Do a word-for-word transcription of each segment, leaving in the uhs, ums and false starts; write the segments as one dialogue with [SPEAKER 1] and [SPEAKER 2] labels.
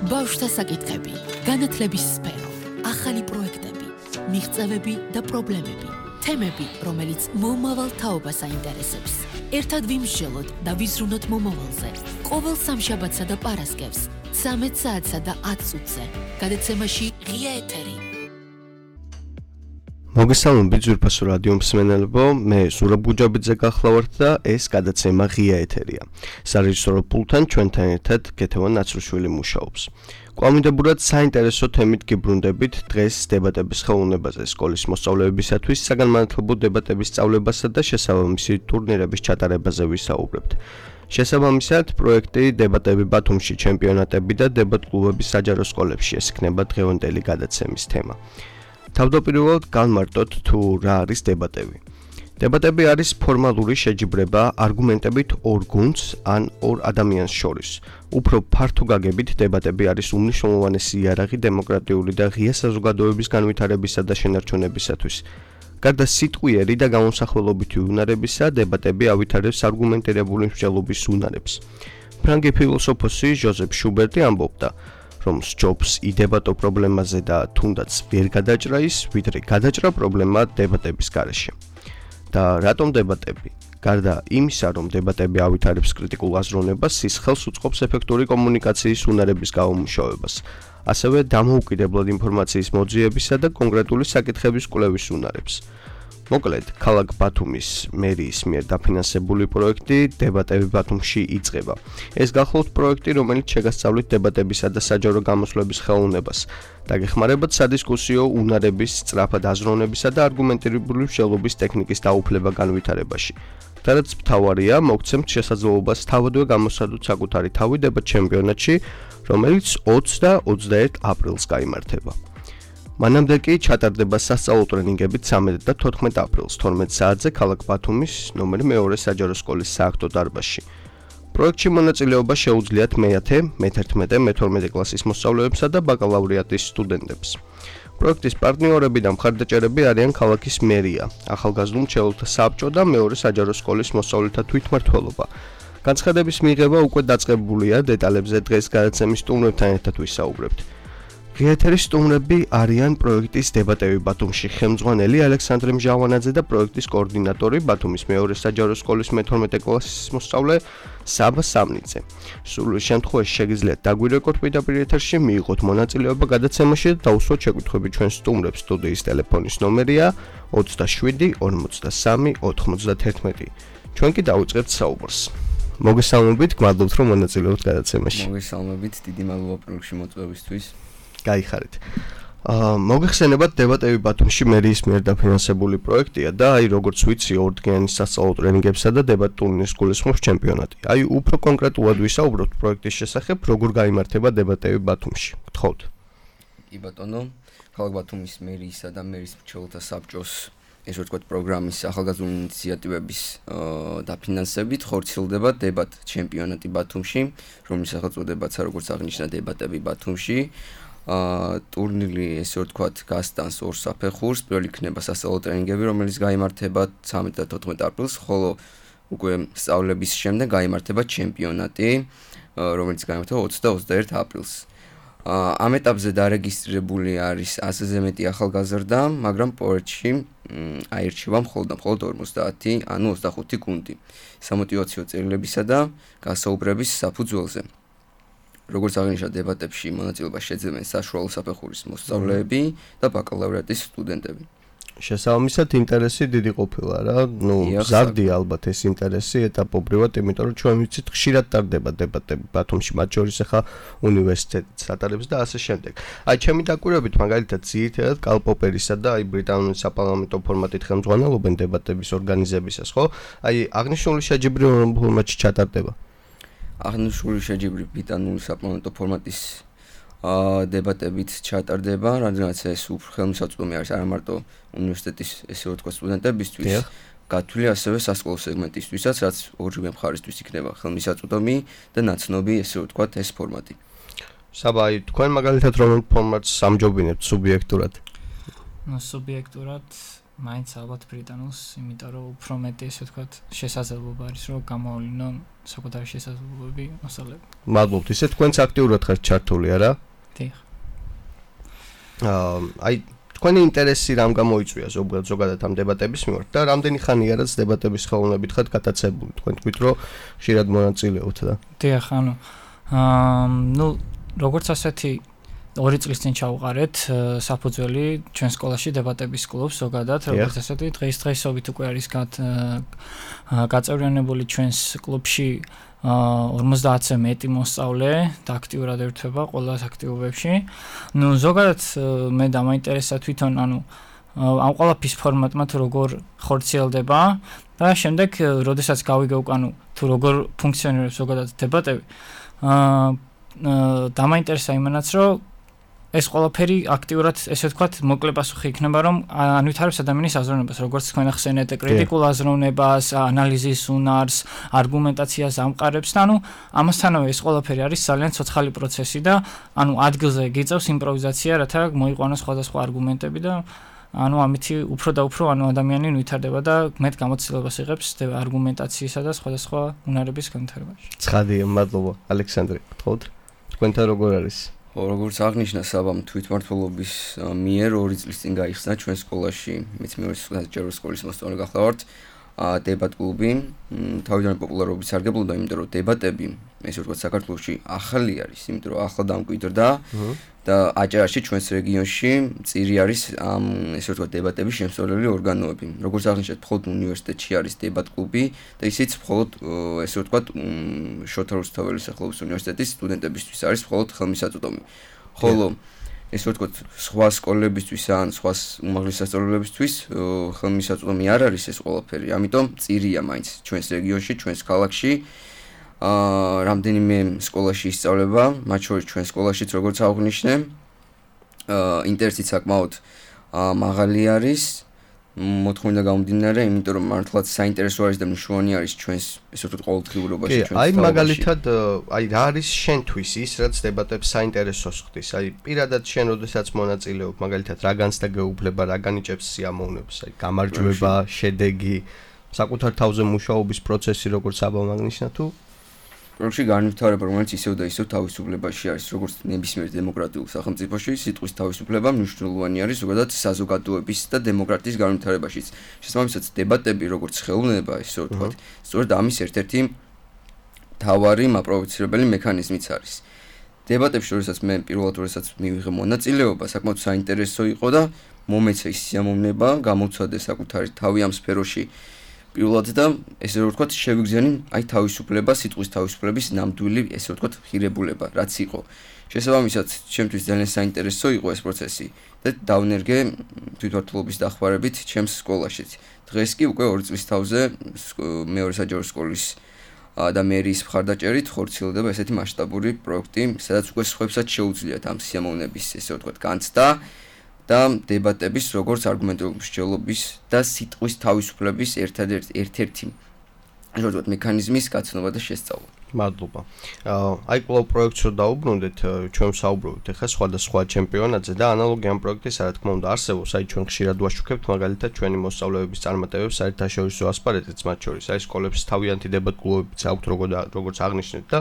[SPEAKER 1] ბავშვთა საკითხები, განათლების სფერო, ახალი პროექტები, მიღწევები და პრობლემები, თემები, რომელიც მომავალ თაობას აინტერესებს. ერთად ვიმსჯელოთ და ვიზრუნოთ მომავალზე. ყოველ სამშაბათსა და პარასკევს, ცამეტ საათსა და ათ წუთზე, გადაცემაში ღია ეთერი.
[SPEAKER 2] მოგესალმებით ძვირფასო რადიო მსმენელებო, მე ზურაბ გუჯაბიძე გახლავართ და ეს გადაცემა ღია ეთერია. სარეჟისორო პულტთან ჩვენთან ერთად გეთევან ნაცრუშვილი მუშაობს. კვალმიდებლად საინტერესო თემით გიბრუნდებით დღეს დებატების ხელოვნებაზე სკოლის მოსწავლეებისათვის საგანმანათლებლო დებატების სწავლებასა და შესაბამისი ტურნირების ჩატარებაზე ვისაუბრებთ. შესაბამისად, პროექტი დებატები ბათუმში ჩემპიონატები და დებატ კლუბების საჯარო სკოლებში ეს იქნება დღევანდელი გადაცემის თემა. თავდაპირველად განმარტოთ თუ რა არის დებატები. დებატები არის ფორმალური შეჯიბრება არგუმენტებით ორ გუნდს ან ორ ადამიანს შორის. უფრო ფართო გაგებით დებატები არის უმნიშვნელოვანესი იარაღი დემოკრატიული და ღია საზოგადოების განვითარებისა და შენარჩუნებისათვის. გარდა სიტყვიერი და გამოსახველობითი უნარებისა, დებატები ავითარებს არგუმენტირებული მსჯელობის უნარებს. ფრანგი ფილოსოფოსი ჟოზეფ შუბერტი ამბობდა, რომ სჯობს იდებატო პრობლემაზე და თუნდაც ვერ გადაჭრა ის, ვიდრე გადაჭრა პრობლემა დებატების გარეშე. და რატომ დებატები? გარდა იმისა, რომ დებატები ავითარებს კრიტიკულ აზროვნებას, ის ხელს უწყობს ეფექტური კომუნიკაციის უნარების გამომუშავებას, ასევე დამოუკიდებლად ინფორმაციის მოძიებისა და კონკრეტული საკითხების კვლევის უნარებს. მოკლედ, ქალაქ ბათუმის მერიის მიერ დაფინანსებული პროექტი დებატები ბათუმში იწყება. ეს გახლავთ პროექტი, რომელიც შეგასწავლით დებატებისა და საჯარო გამოსვლების ხელოვნებას და გეხმარებათ სადისკუსიო უნარების, სწრაფად აზროვნებისა და არგუმენტირებული მსჯელობის ტექნიკის დაუფლება განვითარებაში. და რაც მთავარია, მოგცემთ შესაძლებლობას თავადვე გამოსცადოთ საკუთარი თავი დებატ ჩემპიონატში, რომელიც ოცი და ოცდაერთი აპრილს გაიმართება. მანამდე კი ჩატარდება სასწავლო ტრენინგები ცამეტ და თოთხმეტ აპრილს თორმეტ საათზე ქალაქ ბათუმის ნომერ მეორე საჯარო სკოლის სააქტო დარბაზში. პროექტში მონაწილეობა შეუძლიათ მეათე, მეთერთმეტე, მეთორმეტე კლასის მოსწავლეებსა და ბაკალავრიატის სტუდენტებს. პროექტის პარტნიორები და მხარდაჭერები არიან ქალაქის მერია, ახალგაზრდულ მრჩეველთა საბჭო და მეორე საჯარო სკოლის მოსწავლეთა თვითმმართველობა. განცხადების მიღება უკვე დაწყებულია, დეტალებზე დღეს გადაცემის სტუმრებთან ერთად ვისაუბრებთ. ღიეთერის სტუმრები არიან პროექტის დებატები ბათუმში ხელმძღვანელი ალექსანდრე მჟავანაძე და პროექტის კოორდინატორი ბათუმის მეორე საჯარო სკოლის მეთორმეტე კლასის მოსწავლე საბა სამნიძე. სრულ შემთხვევაში შეგიძლიათ დაგვირეკოთ პირდაპირ ეთერში, მიიღოთ მონაწილეობა გადაცემაში და დაუსვათ შეკვეთები ჩვენ სტუმრებს. სტუდიის ტელეფონის ნომერია ოცდაშვიდი ორმოცდასამი ოთხმოცდათერთმეტი. ჩვენ კი დავიწყებთ საუბარს. მოგესალმებით, გმადლობთ რომ მონაწილეობთ გადაცემაში.
[SPEAKER 3] მოგესალმებით, დიდი მადლობა პროექტში მოწვევისთვის.
[SPEAKER 2] გაიხარეთ. აა მოგეხსენებათ დებატები ბათუმში მერიის მიერ დაფინანსებული პროექტია და აი როგორც ვიცი ორდღიანი სასწავლო ტრენინგებსა და დებატ ტურნირს გულისხმობს ჩემპიონატი. აი უფრო კონკრეტულად ვისაუბროთ პროექტის შესახებ, როგორ გაიმართება დებატები ბათუმში. გთხოვთ.
[SPEAKER 3] კი ბატონო, ქალაქ ბათუმის მერიისა და მერის მრჩეველთა საბჭოს ესე ვთქვათ პროგრამის ახალგაზრდული ინიციატივების დაფინანსებით ხორციელდება დებატ ჩემპიონატი ბათუმში, რომლის სახელწოდებაც როგორც აღნიშნა დებატები ბათუმში. ტურნირი ესე ვთქვათ გასტანს ორ საფეხურს, პირველი იქნება სასწავლო ტრენინგები, რომელიც გაიმართება ცამეტ და თოთხმეტ აპრილს, ხოლო უკვე სწავლების შემდეგ გაიმართება ჩემპიონატი, რომელიც გაიმართება ოცი და ოცდაერთი აპრილს. ამ ეტაპზე დარეგისტრირებული არის ასზე მეტი ახალგაზრდა, მაგრამ პროექტში აირჩევა მხოლოდ და მხოლოდ ორმოცდაათი, ანუ ოცდახუთი გუნდი. სამოტივაციო წერილებისა და გასაუბრების საფუძველზე. როგორც აღნიშნა დებატებში მონაწილეობას შეძლებენ საშუალო საფეხურის მოსწავლეები და ბაკალავრიატის სტუდენტები.
[SPEAKER 2] შესაბამისად ინტერესი დიდი ყოფილა რა, ნუ ზარდია ალბათ ეს ინტერესი ეტაპობრივად, იმიტომ რომ ჩვენ ვიცით ხშირად ტარდება დებატები ბათუმში, მათ შორის ახლა უნივერსიტეტიც ატარებს და ასე შემდეგ. აი ჩემი დაკვირვებით მაგალითად ძირითადად კალპოპერისა და აი ბრიტანული საპარლამენტო ფორმატით ხელმძღვანელობენ დებატების ორგანიზებისას, ხო? აი აღნიშნული შეჯიბრი რომ ფორმატში ჩატარდება.
[SPEAKER 3] აღნიშნული შეჯიბრი ბრიტანული საპარლამენტო ფორმატის დებატებით ჩატარდება, რადგანაც ეს უფრო ხელმისაწვდომი არის არა მარტო უნივერსიტეტის ესე ვთქვათ სტუდენტებისთვის, გათვლილი ასევე სასკოლო სეგმენტისთვისაც, რაც ორივე მხარისთვის იქნება ხელმისაწვდომი და ნაცნობი ესე ვთქვათ ეს ფორმატი.
[SPEAKER 2] საბა, აი თქვენ მაგალითად რომელ ფორმატს ამჯობინებთ სუბიექტურად?
[SPEAKER 4] ნუ სუბიექტურად მაინც ალბათ ბრიტანულს, იმიტომ რომ უფრო მეტი ესე ვთქვათ, შესაძლებლობა არის, რომ გამოავლინონ საკუთარი შესაძლებლობები მოსწავლეები.
[SPEAKER 2] მადლობთ. ისე თქვენც აქტიურად ხართ ჩართული, არა?
[SPEAKER 4] დიახ.
[SPEAKER 2] აა, აი თქვენი ინტერესი რამ გამოიწვია ზოგადად ზოგადად ამ დებატების მიმართ და რამდენი ხანია რაც დებატების ხელოვნებით ხართ გატაცებული? თქვენ თქვით, რომ ხშირად მონაწილეობთ და.
[SPEAKER 4] დიახ, ანუ აა, ნუ როგორც ასეთი ორი წლის წინ ჩავყარეთ საფუძველი ჩვენ სკოლაში დებატების კლუბს ზოგადად, როგორც ასეთი დღესდღეობით უკვე არის გაწევრიანებული ჩვენს კლუბში ორმოცდაათზე მეტი მოსწავლე და აქტიურად ერთვება ყველა აქტივობებში. ნუ ზოგადად მე დამაინტერესა თვითონ, ანუ ამ ყველაფრის ფორმატმა თუ როგორ ხორციელდება და შემდეგ, როდესაც გავიგე უკან თუ როგორ ფუნქციონირებს ზოგადად დებატები, აა დამაინტერესა იმანაც, რომ ეს ყველაფერი აქტიურად, ესე ვთქვათ, მოკლე პასუხი იქნება, რომ ანვითარებს ადამიანის აზროვნებას, როგორც თქვენ ახსენეთ, კრიტიკულ აზროვნებას, ანალიზის უნარს, არგუმენტაციას ამყარებს და ანუ ამასთანავე ეს ყველაფერი არის ძალიან ცოცხალი პროცესი და ანუ ადგილზე გიწევს იმპროვიზაცია, რათა მოიყვანოს სხვადასხვა არგუმენტები და ანუ ამითი უფრო და უფრო ანუ ადამიანი ვითარდება და მეტ გამოცდილებას იღებს არგუმენტაციისა და სხვადასხვა უნარების განვითარებაში.
[SPEAKER 2] ცხადია, მადლობა. ალექსანდრე, გთხოვთ. თქვენთან როგორ არის?
[SPEAKER 3] როგორც აღნიშნა საბამ თვითმმართველობის მიერ ორი წლის წინ გაიხსნა ჩვენ სკოლაში, მეც მეორე საჯარო სკოლის მოსწავლე გახლავართ, დებატ კლუბი. თავიდან პოპულარობით სარგებლობდა, იმიტომ რომ დებატები, ესე ვთქვათ, საქართველოში ახალი არის, იმიტომ რომ ახლა დამკვიდრდა და აჭარაში ჩვენს რეგიონში წირი არის ამ ესე ვთქვათ დებატების შემსწავლელი ორგანოები. როგორც აღნიშნეთ, მხოლოდ უნივერსიტეტში არის დებატ კლუბი და ისიც მხოლოდ ესე ვთქვათ შოთა რუსთაველის სახელობის უნივერსიტეტის სტუდენტებისთვის არის მხოლოდ ხელმისაწვდომი. ხოლო ესე ვთქვათ სხვა სკოლებისთვის ან სხვა უმაღლეს სასწავლებლებისთვის ხელმისაწვდომი არ არის ეს ყველაფერი. ამიტომ წირია მაინც ჩვენს რეგიონში, ჩვენს ქალაქში. აა რამდენიმე სკოლაში ისწავლება, მათ შორის ჩვენ სკოლაშიც როგორც აღნიშნე, აა ინტერესიც საკმაოდ მაღალი არის. მოთხოვნიდან გამომდინარე, იმიტომ რომ მართლაც საინტერესო არის და მნიშვნელოვანი არის ჩვენს ესე ვთქვათ ყოველდღიურობაში ჩვენს
[SPEAKER 2] აი მაგალითად აი რა არის შენთვის ის რაც დებატებს საინტერესოს ხდის? აი პირადად შენ როდესაც მონაწილეობ, მაგალითად რა განცდა გეუბნება, რა განიჭებს სიამოვნებას, აი გამარჯვება, შედეგი, საკუთარ თავზე მუშაობის პროცესი როგორც საბამ აღნიშნა თუ
[SPEAKER 3] პროექტში განვითარება, რომელიც ისევ და ისევ თავისუფლებაში არის, როგორც ნებისმიერ დემოკრატიულ სახელმწიფოში, სიტყვის თავისუფლება მნიშვნელოვანი არის ზოგადად საზოგადოების და დემოკრატიის განვითარებაშიც. შესაბამისად, დებატები, როგორც ხელოვნება, ისე ვთქვათ, სწორედ ამის ერთ-ერთი მთავარი მაპროვოცირებელი მექანიზმიც არის. დებატებში, როდესაც მე პირველად როდესაც მივიღე მონაწილეობა, საკმაოდ საინტერესო იყო და მომეცა ის სიამოვნება, გამოცადე საკუთარი თავი ამ სფეროში. პირველად და ესე ვთქვათ, შევიგზენი აი თავისუფლება, სიტყვის თავისუფლების ნამდვილი ესე ვთქვათ, ღირებულება, რაც იყო. შესაბამისად, ჩემთვის ძალიან საინტერესო იყო ეს პროცესი და დავნერგე თვითმმართველობის დახმარებით ჩემს სკოლაშიც. დღეს კი უკვე ორი წლის თავზე მეორე საჯარო სკოლის და მერის მხარდაჭერით ხორციელდება ესეთი მასშტაბური პროექტი, სადაც უკვე სხვებსაც შეუძლიათ ამ სიამოვნების ესე ვთქვათ, განცდა და დებატების როგორც არგუმენტირებული მსჯელობის და სიტყვის თავისუფლების ერთადერთი ერთ-ერთი ასე ვთქვათ მექანიზმის გაცნობა და შესწავლა.
[SPEAKER 2] მადლობა. აი კლუბ პროექტს რო დაუბრუნდეთ, ჩვენ საუბრობთ ახლა სხვადასხვა ჩემპიონატზე და ანალოგია ამ პროექტის რა თქმა უნდა არსებობს, აი ჩვენ ხშირად ვაშუქებთ მაგალითად ჩვენი მოსწავლეების წარმატებებს საერთაშორისო ასპარეზიც მათ შორის, აი სკოლებს თავიანთი დებატ კლუბებიც აქვთ როგორც აღნიშნეთ და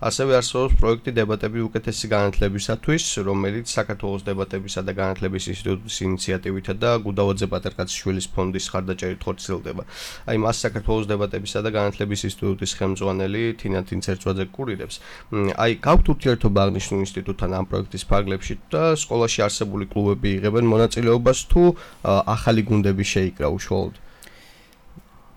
[SPEAKER 2] ასევე არსებობს პროექტი დებატები უკეთესი განათლებისათვის, რომელიც საქართველოს დებატებისა და განათლების ინსტიტუტის ინიციატივითა და გუდავაძე პატერკაციშვილის ფონდის მხარდაჭერით ხორციელდება. აი მას საქართველოს დებატებისა და განათლების ინსტიტუტის ხელმძღვანელი თინათ ინცერცვაძე კურირებს. აი, გაქვთ ურთიერთობა აღნიშნულ ინსტიტუტთან ამ პროექტის ფარგლებში და სკოლაში არსებული კლუბები იღებენ მონაწილეობას თუ ახალი გუნდები შეიკრა უშუალოდ?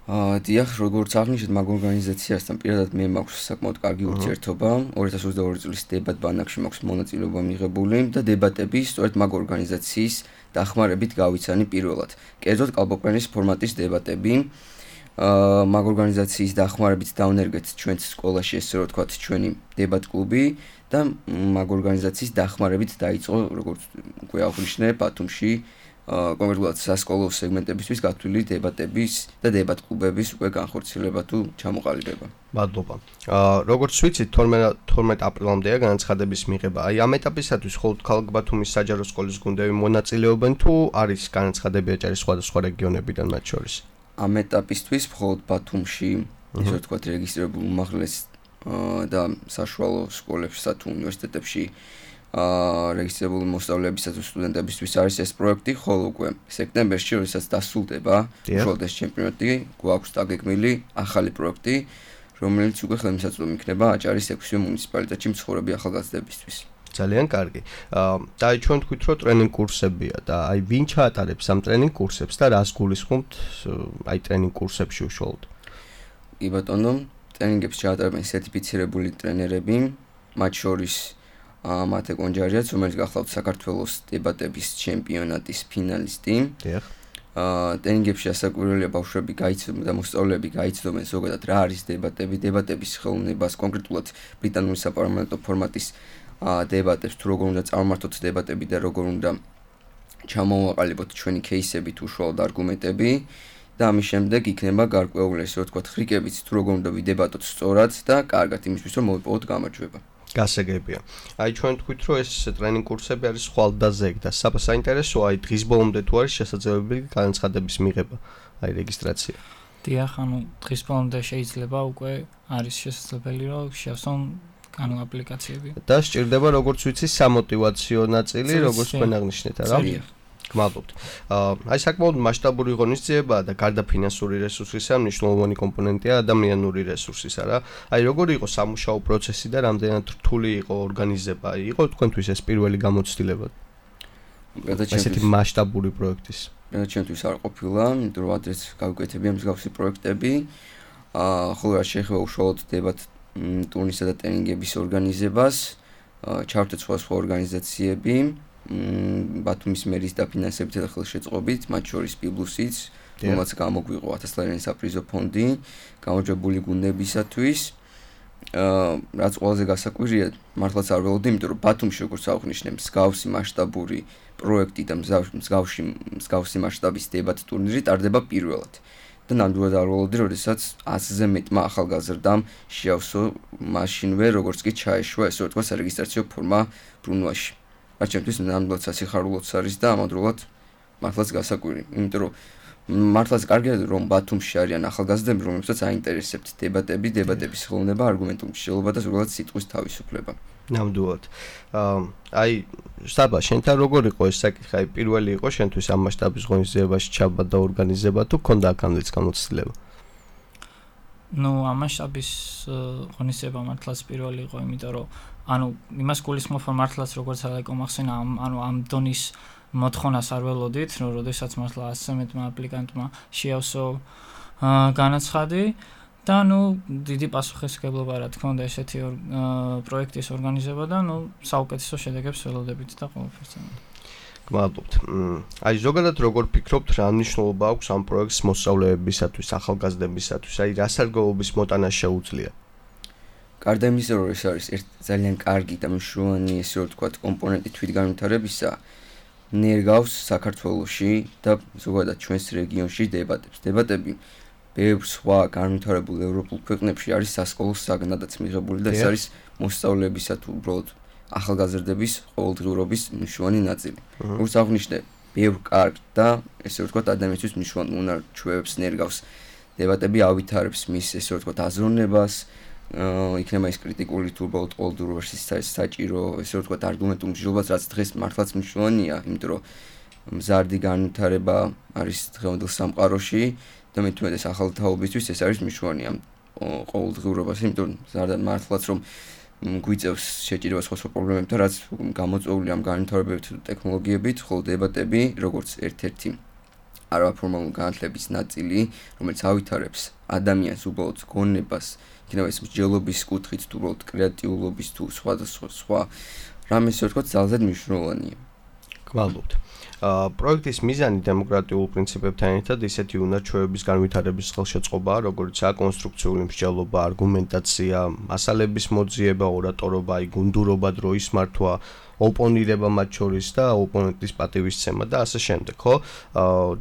[SPEAKER 3] აა, დიახ, როგორც აღნიშნეთ, მაგ ორგანიზაციასთან პირადად მე მაქვს საკმაოდ კარგი ურთიერთობა. ორი ათას ოცდაორი წლის დებატ ბანაკში მაქვს მონაწილეობა მიღებული და დებატები სწორედ მაგ ორგანიზაციის დახმარებით გავიცანი პირველად. კერძოდ კალბოკვენის ფორმატის დებატები აა მაგ ორგანიზაციის დახმარებით დავნერგეთ ჩვენს სკოლაში ესე რომ ვთქვათ ჩვენი დებატ კლუბი და მაგ ორგანიზაციის დახმარებით დაიწყო როგორც უკვე აღნიშნე ბათუმში კონკრეტულად სასკოლო სეგმენტებისთვის გათვლილი დებატების და დებატ კლუბების უკვე განხორციელება თუ ჩამოყალიბება.
[SPEAKER 2] მადლობა. აა როგორც ვიცით, თორმეტ აპრილამდეა განაცხადების მიღება. აი ამ ეტაპისათვის მხოლოდ ქალაქ ბათუმის საჯარო სკოლის გუნდები მონაწილეობენ თუ არის განაცხადები აჭარის სხვადასხვა რეგიონებიდან მათ შორის?
[SPEAKER 3] ამ ეტაპისთვის მხოლოდ ბათუმში ისე ვთქვათ რეგისტრირებულ უმაღლეს და საშუალო სკოლებსა თუ უნივერსიტეტებში აა რეგისტრირებული მოსწავლეებისა თუ სტუდენტებისთვის არის ეს პროექტი, ხოლო უკვე სექტემბერში, როდესაც დასრულდება უშუალოდ ეს ჩემპიონატი, გვაქვს დაგეგმილი ახალი პროექტი, რომელიც უკვე ხელმისაწვდომი იქნება აჭარის ექვსი მუნიციპალიტეტში მცხოვრები ახალგაზრდებისთვის.
[SPEAKER 2] ძალიან კარგი. აა და აი ჩვენ თქვით, რომ ტრენინგ კურსებია და აი ვინ ჩაატარებს ამ ტრენინგ კურსებს და რას გულისხმობთ აი ტრენინგ კურსებში უშუალოდ?
[SPEAKER 3] კი ბატონო, ტრენინგებს ჩაატარებენ სერტიფიცირებული ტრენერები, მათ შორის მათე კონჯარიაც, რომელიც გახლავთ საქართველოს დებატების ჩემპიონატის ფინალისტი.
[SPEAKER 2] დიახ.
[SPEAKER 3] აა ტრენინგებში ასაკვირველია ბავშვები გაიცნობენ და მოსწავლეები გაიცნობენ ზოგადად რა არის დებატები, დებატების ხელოვნებას, კონკრეტულად ბრიტანული საპარლამენტო ფორმატის აა დებატებს, თუ როგორ უნდა წარმართოთ დებატები და როგორ უნდა ჩამოვაყალიბოთ ჩვენი кейსები თუ უშუალოდ არგუმენტები და ამის შემდეგ იქნება გარკვეული ესე ვთქვათ ხრიკებიც, თუ როგორ უნდა ვიდებატოთ სწორად და კარგად იმისთვის რომ მოვიპოვოთ გამარჯვება.
[SPEAKER 2] გასაგებია. აი ჩვენ თქვით, რომ ეს ტრენინგ კურსები არის ხვალდაზე და საინტერესოა აი დღის ბოლომდე თუ არის შესაძლებელი განაცხადების მიღება, აი რეგისტრაცია.
[SPEAKER 4] დიახ, ანუ დღის ბოლომდე შეიძლება უკვე არის შესაძლებელი რომ შეავსონ ანუ აპლიკაციები.
[SPEAKER 2] და სჭირდება როგორც ვიცი სამოტივაციო ნაწილი, როგორც თქვენ აღნიშნეთ, არა? გმადლობთ. აი საკმაოდ მასშტაბური ღონისძიებაა და გარდა ფინანსური რესურსისა, მნიშვნელოვანი კომპონენტია ადამიანური რესურსის, არა? აი როგორი იყო სამუშაო პროცესი და რამდენად რთული იყო ორგანიზება? იყო თქვენთვის ეს პირველი გამოცდილება? ესეთი მასშტაბური პროექტის.
[SPEAKER 3] ჩვენთვის არ ყოფილა, იმიტომ რომ ადრეც გავუკეთებია მსგავსი პროექტები. აა ხოლო რა შეეხება უშუალოდ დებატ ტურნირსა და ტრენინგების ორგანიზებას, ჩავთვით სხვა ორგანიზაციები. ბათუმის მერის დაფინანსებით და ხელშეწყობით, მათ შორის პიბლუსიც, რომელსაც გამოგვიყო ათას ლარიანი საპრიზო ფონდი, გამარჯვებული გუნდებისათვის. აა რაც ყველაზე გასაკვირია, მართლაც არ ველოდი, იმიტომ რომ ბათუმში როგორც აღნიშნე, მსგავსი მასშტაბური პროექტი და მსგავსი მსგავსი მასშტაბის დებატ ტურნირი ტარდება პირველად. და ნამდვილად არ ველოდი, როდესაც ათზე მეტმა ახალგაზრდამ შეავსო მაშინვე, როგორც კი ჩაეშვა ესე ვთქვათ სარეგისტრაციო ფორმა ბრუნვაში. რაც ჩემთვის ნამდვილად სასიხარულოც არის და ამავდროულად მართლაც გასაკვირი, იმიტომ რომ მართლაც კარგია რომ ბათუმში არიან ახალგაზრდები, რომლებსაც აინტერესებთ დებატები, დებატების ხელოვნება, არგუმენტული მსჯელობა და ზოგადად სიტყვის თავისუფლება.
[SPEAKER 2] ნამდვილად. აა აი საბა, შენთან როგორ იყო ეს საკითხი? აი პირველი იყო შენთვის ამ მასშტაბის ღონისძიებაში ჩაბა და ორგანიზება თუ ქონდა აქამდეც გამოცდილება?
[SPEAKER 4] ნუ ამ მასშტაბის ღონისძიება მართლაც პირველი იყო, იმიტომ რომ ანუ იმას გულისხმობ რომ მართლაც როგორც ალეკო მახსენა ამ ანუ ამ დონის მოთხოვნას არ ველოდით, რომ როდესაც მართლა ასზე მეტმა აპლიკანტმა შეავსო განაცხადი და ნუ დიდი პასუხისმგებლობა რა თქმა უნდა ესეთი პროექტის ორგანიზება და ნუ საუკეთესო შედეგებს ველოდებით და ყველაფერს.
[SPEAKER 2] გმადლობთ. აი ზოგადად როგორ ფიქრობთ, რა მნიშვნელობა აქვს ამ პროექტს მოსწავლეებისათვის, ახალგაზრდებისათვის, აი რა სარგებლობის მოტანა შეუძლია?
[SPEAKER 3] გარდა იმისა, რომ ეს არის ერთ ძალიან კარგი და მნიშვნელოვანი ესე ვთქვათ კომპონენტი თვითგანვითარებისა, ნერგავს საქართველოში და ზოგადად ჩვენს რეგიონში დებატებს. დებატები ბევრ სხვა განვითარებულ ევროპულ ქვეყნებში არის სასკოლო საგნადაც მიღებული და ეს არის მოსწავლეებისა თუ უბრალოდ ახალგაზრდების ყოველდღიურობის მნიშვნელოვანი ნაწილი. როგორც აღნიშნე, ბევრ კარგ და ესე ვთქვათ ადამიანისთვის მნიშვნელოვან უნარ-ჩვევებს ნერგავს. დებატები ავითარებს მის ესე ვთქვათ აზროვნებას, იქნება ის კრიტიკული თუ უბრალოდ ყოველდღიურობაში საჭირო ესე ვთქვათ არგუმენტული მსჯელობაც, რაც დღეს მართლაც მნიშვნელოვანია, იმიტომ რომ მზარდი განვითარება არის დღევანდელ სამყაროში და მე თვითონ ეს ახალი თაობისთვის ეს არის მნიშვნელოვანი ამ ყოველდღიურობას, იმიტომ რომ მზარდად მართლაც რომ გვიწევს შეჭირება სხვა სხვა პრობლემებთან, რაც გამოწვეულია ამ განვითარებებით და ტექნოლოგიებით, ხოლო დებატები როგორც ერთ-ერთი არაფორმალური განათლების ნაწილი, რომელიც ავითარებს ადამიანს უბრალოდ გონებას, იქნება ეს მსჯელობის კუთხით თუ უბრალოდ კრეატიულობის თუ სხვადასხვა სხვა რამე ისე ვთქვათ ძალზედ მნიშვნელოვანია.
[SPEAKER 2] გმადლობთ. აა პროექტის მიზანი დემოკრატიულ პრინციპებთან ერთად ისეთი უნარ-ჩვევების განვითარების ხელშეწყობაა, როგორიცაა კონსტრუქციული მსჯელობა, არგუმენტაცია, მასალების მოძიება, ორატორობა, აი გუნდურობა, დროის მართვა, ოპონირება მათ შორის და ოპონენტის პატივისცემა და ასე შემდეგ, ხო?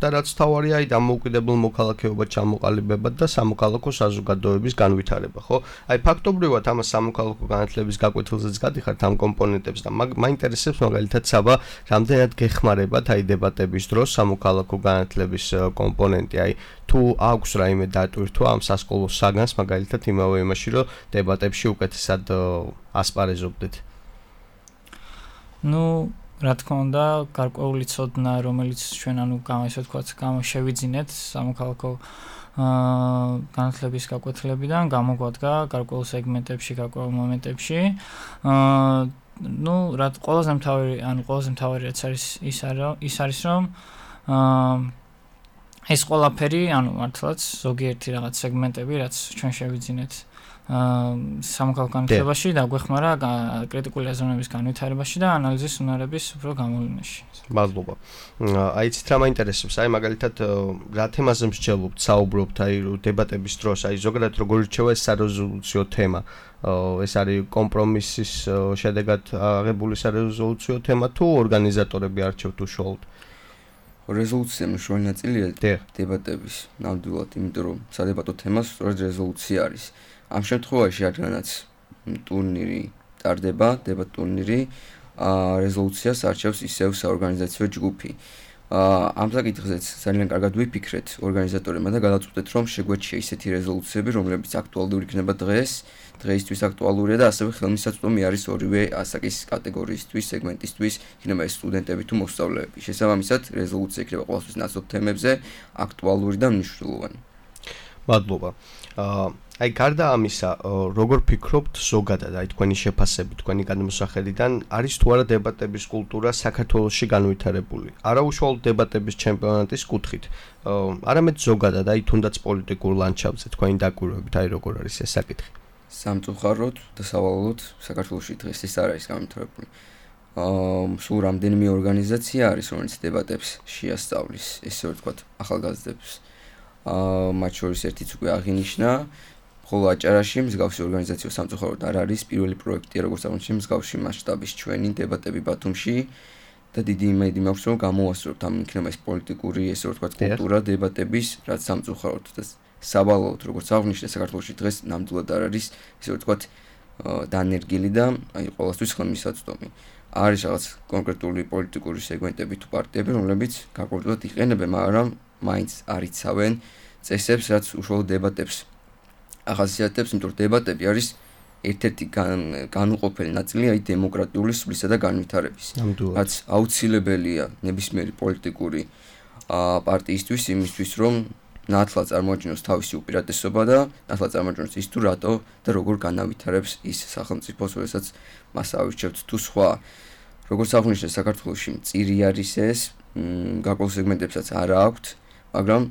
[SPEAKER 2] და რაც თავარია, აი დამოუკიდებელ მოქალაქეობა ჩამოყალიბება და სამოქალაქო საზოგადოების განვითარება, ხო? აი ფაქტობრივად ამას სამოქალაქო განათლების გაკვეთილზეც გადიხართ ამ კომპონენტებს და მაინტერესებს მაგალითად საბა რამდენად გეხმარებათ აი დებატების დროს სამოქალაქო განათლების კომპონენტი, აი თუ აქვს რაიმე დატვირთვა ამ სასკოლო საგანს მაგალითად იმავე იმაში რომ დებატებში უკეთესად ასპარეზობდეთ.
[SPEAKER 4] ნუ რა თქმა უნდა, გარკვეული ცოდნა, რომელიც ჩვენ ანუ ესე ვთქვათ, შევიძინეთ სამოქალაქო აა განათლების გაკვეთილებიდან, გამოგვადგა გარკვეულ სეგმენტებში, გარკვეულ მომენტებში. აა ნუ რა ყველაზე მთავარი, ანუ ყველაზე მთავარი რაც არის ის ის არის რომ აა ეს ყველაფერი, ანუ მართლაც ზოგიერთი რაღაც სეგმენტები, რაც ჩვენ შევიძინეთ აა სამოქალაქო განათლებაში და გვეხმარა კრიტიკული აზროვნების განვითარებაში და ანალიზის უნარების უფრო გამოვლენაში.
[SPEAKER 2] მადლობა. აი ცით რა მაინტერესებს, აი მაგალითად რა თემაზე მსჯელობთ, საუბრობთ, აი დებატების დროს, აი ზოგადად როგორ რჩევა ეს სარეზოლუციო თემა. ეს არის კომპრომისის შედეგად აღებული სარეზოლუციო თემა თუ ორგანიზატორები არჩევთ უშუალოდ?
[SPEAKER 3] რეზოლუცია მნიშვნელოვანი ნაწილია დებატების ნამდვილად, იმიტომ რომ სადებატო თემა სწორედ რეზოლუცია არის. ამ შემთხვევაში რადგანაც ტურნირი ტარდება, დებატ ტურნირი, რეზოლუციას არჩევს ისევ საორგანიზაციო ჯგუფი. ამ საკითხზეც ძალიან კარგად ვიფიქრეთ ორგანიზატორებმა და გადავწყვეტეთ, რომ შეგვეჩია ისეთი რეზოლუციები, რომლებიც აქტუალური იქნება დღეს, დღეისთვის აქტუალურია და ასევე ხელმისაწვდომი არის ორივე ასაკის კატეგორიისთვის, სეგმენტისთვის, იქნება ეს სტუდენტები თუ მოსწავლეები. შესაბამისად, რეზოლუცია იქნება ყოველთვის ნაცნობ თემებზე, აქტუალური და მნიშვნელოვანი.
[SPEAKER 2] მადლობა. აი გარდა ამისა, როგორ ფიქრობთ ზოგადად, აი თქვენი შეფასებით, თქვენი გადმოსახედიდან, არის თუ არა დებატების კულტურა საქართველოში განვითარებული? არაუშუალოდ დებატების ჩემპიონატის კუთხით, არამედ ზოგადად, აი თუნდაც პოლიტიკურ ლანდშაფტზე თქვენი დაკვირვებით, აი როგორ არის ეს საკითხი?
[SPEAKER 3] სამწუხაროდ და სავალალოდ საქართველოში დღეს ეს არ არის განვითარებული. აა სულ რამდენიმე ორგანიზაცია არის, რომელიც დებატებს შეასწავლის, ესე ვთქვათ, ახალგაზრდებს. აა მათ შორის ერთიც უკვე აღინიშნა, ხოლო აჭარაში მსგავსი ორგანიზაცია სამწუხაროდ არ არის. პირველი პროექტია, როგორც აღმოჩნდა, მსგავსი მასშტაბის ჩვენი დებატები ბათუმში და დიდი იმედი მაქვს, რომ გამოვასწორებთ ამ იქნება ეს პოლიტიკური, ესე ვთქვათ, კულტურა დებატების, რაც სამწუხაროდ და სავალალოდ, როგორც აღნიშნე, საქართველოში დღეს ნამდვილად არ არის, ესე ვთქვათ, დანერგილი და აი ყოველთვის ხელმისაწვდომი. არის რაღაც კონკრეტული პოლიტიკური სეგმენტები თუ პარტიები, რომლებიც გარკვეულად იყენებენ, მაგრამ მაინც არ იცავენ წესებს, რაც უშუალოდ დებატებს ახასიათებს, იმიტომ რომ დებატები არის ერთ-ერთი განუყოფელი ნაწილი აი დემოკრატიული სვლისა და განვითარების. რაც აუცილებელია ნებისმიერი პოლიტიკური პარტიისთვის იმისთვის, რომ ნათლად წარმოაჩინოს თავისი უპირატესობა და ნათლად წარმოაჩინოს ის თუ რატო და როგორ განავითარებს ის სახელმწიფოს, როდესაც მას ავირჩევთ თუ სხვა. როგორც აღნიშნე, საქართველოში მწირი არის ეს, გარკვეულ სეგმენტებსაც არ აქვთ, მაგრამ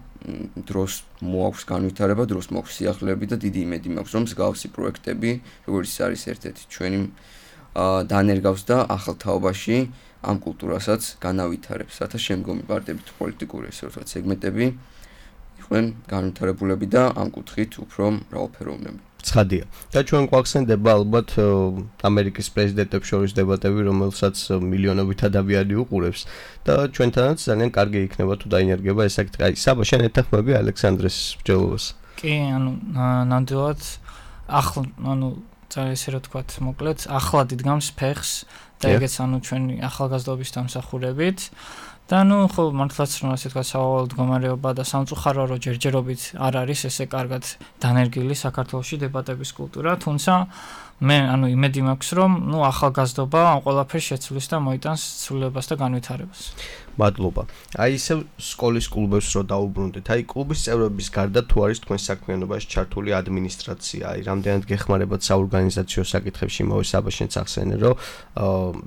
[SPEAKER 3] დროს მოაქვს განვითარება, დროს მოაქვს სიახლეები და დიდი იმედი მაქვს, რომ მსგავსი პროექტები, როგორც არის ერთ-ერთი ჩვენი დანერგავს და ახალ თაობაში ამ კულტურასაც განავითარებს. რათა შემდგომი პარტიები თუ პოლიტიკური ესე ვთქვათ სეგმენტები იყვნენ განვითარებულები და ამ კუთხით უფრო მრავალფეროვნები.
[SPEAKER 2] ცხადია. და ჩვენ გვახსენდება ალბათ ამერიკის პრეზიდენტებს შორის დებატები, რომელსაც მილიონობით ადამიანი უყურებს და ჩვენთანაც ძალიან კარგი იქნება თუ დაინერგება ეს საკითხი. აი, საბა, შენ ეთანხმები ალექსანდრეს მსჯელობას?
[SPEAKER 4] კი, ანუ ნამდვილად ახლა, ანუ ძალიან ესე რა თქვათ, მოკლედ, ახლად იდგამს ფეხს და ეგეც ანუ ჩვენი ახალგაზრდობის დამსახურებით. და ნუ ხო მართლაც რომ ასე თქვა სავალალო მდგომარეობა და სამწუხარო რომ ჯერჯერობით არ არის ესე კარგად დანერგილი საქართველოში დებატების კულტურა, თუმცა მე ანუ იმედი მაქვს რომ ნუ ახალგაზრდობა ამ ყველაფერს შეცვლის და მოიტანს ცვლილებას და განვითარებას.
[SPEAKER 2] მადლობა. აი ისე სკოლის კლუბებს რო დაუბრუნდეთ, აი კლუბის წევრების გარდა თუ არის თქვენ საქმიანობაში ჩართული ადმინისტრაცია, აი რამდენად გეხმარებათ საორგანიზაციო საკითხებში, იმავე საბაშენც ახსენე, რომ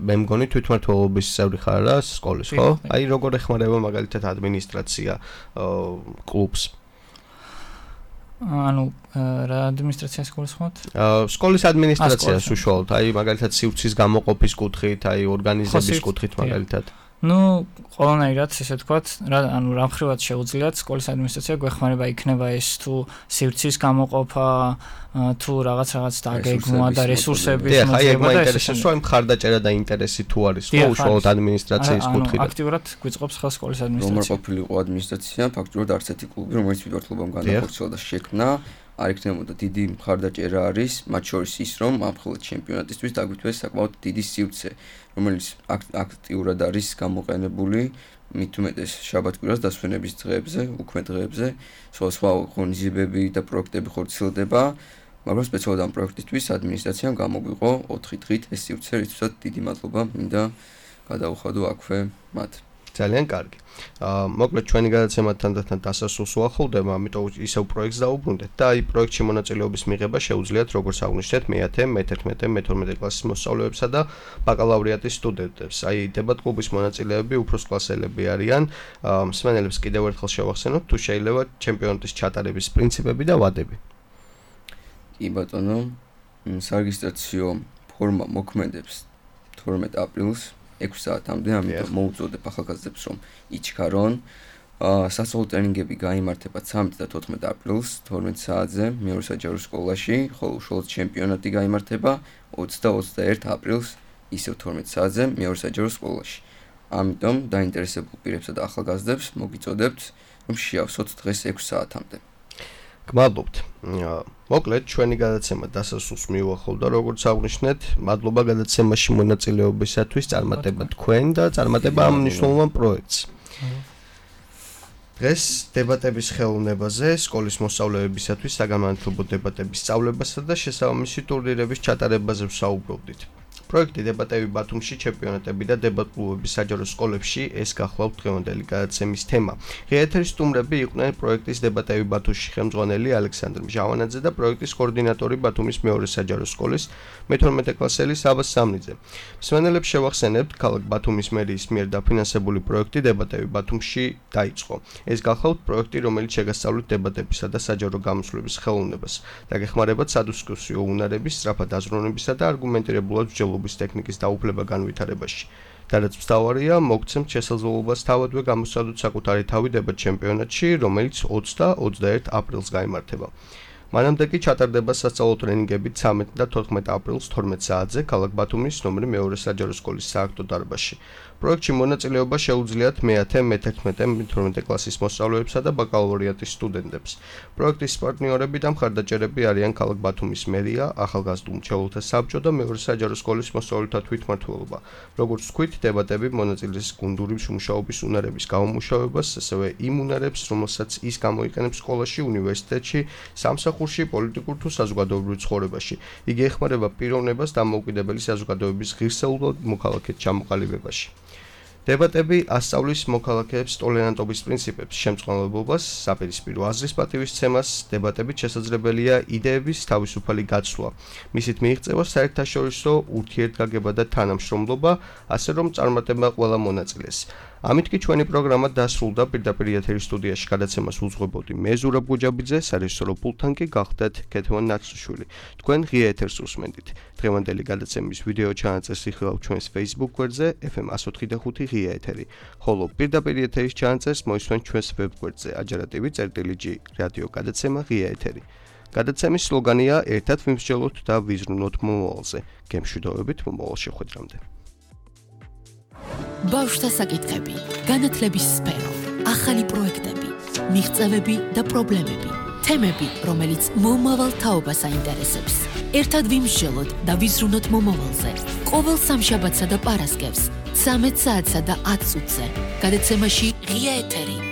[SPEAKER 2] მე მგონი თვითმმართველობის წევრი ხარ რა სკოლის, ხო? აი როგორ ეხმარება მაგალითად ადმინისტრაცია კლუბს?
[SPEAKER 4] ანუ რა ადმინისტრაციას გულისხმობთ?
[SPEAKER 2] სკოლის ადმინისტრაციას უშუალოდ, აი მაგალითად სივრცის გამოყოფის კუთხით, აი ორგანიზების კუთხით მაგალითად.
[SPEAKER 4] ну, ყველანაირად, ესე ვთქვათ, რა, ანუ რა მხრივად შეუძლიათ სკოლის ადმინისტრაცია გვეხმარება იქნება ეს თუ სივრცის გამოყოფა, თუ რაღაც რაღაც დაგეგმვა და რესურსების
[SPEAKER 2] მოძებნა. აი, ეგ მაინტერესებს, რომ მხარდაჭერა და ინტერესი თუ არის, ხო, უშუალოდ ადმინისტრაციის კუთხიდან.
[SPEAKER 4] აქტიურად გვიწყობს ხელ სკოლის ადმინისტრაცია.
[SPEAKER 3] რომ არ ყოფილიყო ადმინისტრაცია, ფაქტობრივად არც ერთი კლუბი, რომელიც მიმართულებამ განახორციელა და შექმნა, არ იქნებოდა დიდი მხარდაჭერა არის, მათ შორის ის, რომ ამხელეთ ჩემპიონატისთვის დაგვითვეს საკმაოდ დიდი სივრცე, რომელიც აქტიურად არის გამოყენებული მით უმეტეს შაბათ-კვირას დასვენების დღეებზე, უქმე დღეებზე, სხვა ღონისძიებები და პროექტები ხორციელდება, მაგრამ სპეციალურად ამ პროექტისთვის ადმინისტრაციამ გამოგვიყო ოთხი დღით ეს სივრცე, რითაც დიდი მადლობა მინდა გადაუხადო აქვე მათ.
[SPEAKER 2] ძალიან კარგი. აა მოკლედ ჩვენი გადაცემა თანდათან დასასრულს უახლოვდება, ამიტომ ისევ პროექტს დაუბრუნდეთ და აი პროექტში მონაწილეობის მიღება შეუძლიათ როგორც აღნიშნეთ მეათე, მეთერთმეტე, მეთორმეტე კლასის მოსწავლეებსა და ბაკალავრიატის სტუდენტებს. აი დებატ კლუბის მონაწილეები უფროს კლასელები არიან. მსმენელებს კიდევ ერთხელ შევახსენოთ, თუ შეიძლება ჩემპიონატის ჩატარების პრინციპები და ვადები.
[SPEAKER 3] კი ბატონო, სარეგისტრაციო ფორმა მოქმედებს თორმეტ აპრილს ექვსი საათამდე, ამიტომ მოუწოდებ ახალგაზრდებს, რომ იჩქარონ. სასწავლო ტრენინგები გაიმართება ცამეტ და თოთხმეტ აპრილს თორმეტ საათზე მეორე საჯარო სკოლაში, ხოლო უშუალოდ ჩემპიონატი გაიმართება ოცდა და ოცდაერთ აპრილს ისევ თორმეტ საათზე მეორე საჯარო სკოლაში. ამიტომ დაინტერესებულ პირებსა და ახალგაზრდებს მოგიწოდებთ, რომ შეავსოთ დღეს ექვსი საათამდე.
[SPEAKER 2] გმადლობთ. მოკლედ ჩვენი გადაცემა დასასრულს მიუახლოვდა, როგორც აღნიშნეთ, მადლობა გადაცემაში მონაწილეობისათვის, წარმატება თქვენ და წარმატება ამ მნიშვნელოვან პროექტს. დღეს დებატების ხელოვნებაზე, სკოლის მოსწავლეებისათვის საგანმანათლებლო დებატების სწავლებასა და შესაბამისი ტურნირების ჩატარებაზე ვსაუბრობდით. პროექტი დებატები ბათუმში, ჩემპიონატები და დებატ-კლუბების საჯარო სკოლებში ეს გახლავთ დღევანდელი გადაცემის თემა. ღიერთის სტუმრები იყვნენ პროექტის დებატები ბათუმში ხელმძღვანელი ალექსანდრე მჟავანაძე და პროექტის კოორდინატორი ბათუმის მეორე საჯარო სკოლის მეთორმეტე კლასელი საბა სამნიძე. მსმენელებს შევახსენებთ, ქალაქ ბათუმის მერიის მიერ დაფინანსებული პროექტი დებატები ბათუმში დაიწყო. ეს გახლავთ პროექტი, რომელიც შეგასწავლით დებატებისა და საჯარო გამოსვლების ხელოვნებას. დაგეხმარებათ სადისკუსიო უნარების, სწრაფად აზროვნებისა და არგუმენტირებულად მსჯელობის ტექნიკის დაუფლება განვითარებაში. და რაც მთავარია, მოგცემთ შესაძლებლობას თავადვე გამოსცადოთ საკუთარი თავი დებატ ჩემპიონატში, რომელიც ოცდა და ოცდაერთ აპრილს გაიმართება. მანამდე კი ჩატარდება სასწავლო ტრენინგები ცამეტ და თოთხმეტ აპრილს თორმეტ საათზე ქალაქ ბათუმის ნომერ მეორე საჯარო სკოლის სააქტო დარბაზში. პროექტში მონაწილეობა შეუძლიათ მეათე, მეთერთმეტე, მეთორმეტე კლასის მოსწავლეებსა და ბაკალავრიატის სტუდენტებს. პროექტის პარტნიორები და მხარდაჭერები არიან ქალაქ ბათუმის მერია, ახალგაზრდულ მრჩეველთა საბჭო და მეორე საჯარო სკოლის მოსწავლეთა თვითმმართველობა. როგორც ვთქვით, დებატები მონაწილეს გუნდური მუშაობის უნარების გამომუშავებას, ასევე იმ უნარებს, რომელსაც ის გამოიყენებს სკოლაში, უნივერსიტეტში, სამსახურში, პოლიტიკურ თუ საზოგადოებრივ ცხოვრებაში. იგი ეხმარება პიროვნებას დამოუკიდებელი საზოგადოების ღირსეულ მოქალაქედ ჩამოყალიბებაში. დებატები ასწავლის მოქალაქეებს ტოლერანტობის პრინციპებს, შემწყნარებლობას, საპირისპირო აზრის პატივისცემას, დებატებით შესაძლებელია იდეების თავისუფალი გაცვლა. მისით მიიღწევა საერთაშორისო ურთიერთგაგება და თანამშრომლობა, ასე რომ წარმატება ყველა მონაწილეს. ამით კი ჩვენი პროგრამა დასრულდა. პირდაპირ ეთერის სტუდიაში გადაცემას უძღვებოდი მე ზურაბ გუჯაბიძე, სარეჟისორო პულტთან კი გახდათ ქეთევან ნაცრუშვილი. თქვენ ღია ეთერს უსმენდით. დღევანდელი გადაცემის ვიდეო ჩანაწერს იხილავთ ჩვენს Facebook გვერდზე ეფ ემ one oh five ღია ეთერი, ხოლო პირდაპირ ეთერის ჩანაწერს მოისმენთ ჩვენს ვებ გვერდზე ajarativi წერტილი ჯი რადიო გადაცემა ღია ეთერი. გადაცემის სლოგანია ერთად ვიმსჯელოთ და ვიზრუნოთ მომავალზე. გემშვიდობებით მომავალ შეხვედრამდე.
[SPEAKER 1] ბავშვთა საკითხები, განათლების სფერო, ახალი პროექტები, მიღწევები და პრობლემები, თემები, რომელიც მომავალ თაობას აინტერესებს. ერთად ვიმსჯელოთ და ვიზრუნოთ მომავალზე. ყოველ სამშაბათსა და პარასკევს, ცამეტ საათსა და ათ წუთზე. გადაცემაში ღია ეთერი.